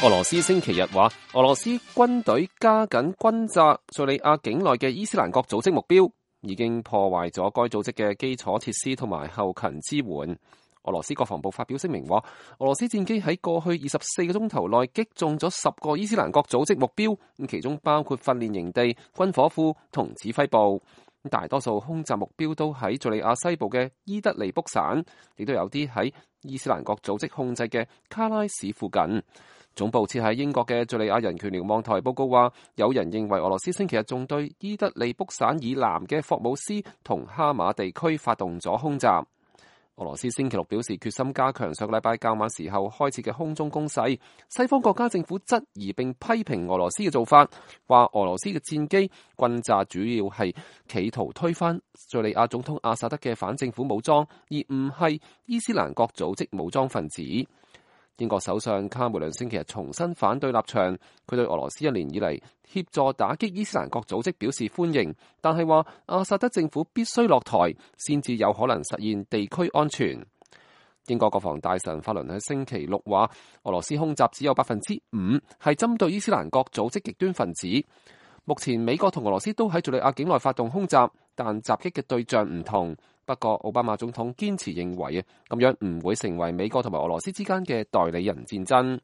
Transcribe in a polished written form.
俄羅斯星期日話，俄羅斯軍隊加緊轟炸敘利亞境內嘅伊斯蘭國組織目標，已經破壞咗該組織嘅基礎設施同埋後勤支援。俄羅斯國防部發表聲明話，俄羅斯戰機喺過去24個鐘頭內擊中咗10個伊斯蘭國組織目標，其中包括訓練營地、軍火庫同指揮部。大多數空襲目標都喺敘利亞西部嘅伊德利卜省，亦都有啲喺伊斯蘭國組織控制嘅卡拉市附近。總部設喺英國嘅敘利亞人權瞭望台報告話，有人認為俄羅斯星期日仲對伊德利卜省以南嘅霍姆斯同哈馬地區發動咗空襲。俄羅斯星期六表示決心加強上禮拜較晚時候開始嘅空中攻勢。西方國家政府質疑並批評俄羅斯嘅做法，話俄羅斯嘅戰機轟炸主要係企圖推翻敘利亞總統阿薩德嘅反政府武裝，而唔係伊斯蘭國組織武裝分子。英國首相卡梅倫星期日重新反對立場，佢對俄羅斯1年以嚟協助打擊伊斯蘭國組織表示歡迎，但係話阿薩德政府必須落台，先至有可能實現地區安全。英國國防大臣法倫喺星期六話，俄羅斯空襲只有5%係針對伊斯蘭國組織極端分子。目前美國同俄羅斯都喺敘利亞境內發動空襲，但襲擊嘅對象唔同。不過奧巴馬總統堅持認為咁樣唔會成為美國同埋俄羅斯之間嘅代理人戰爭。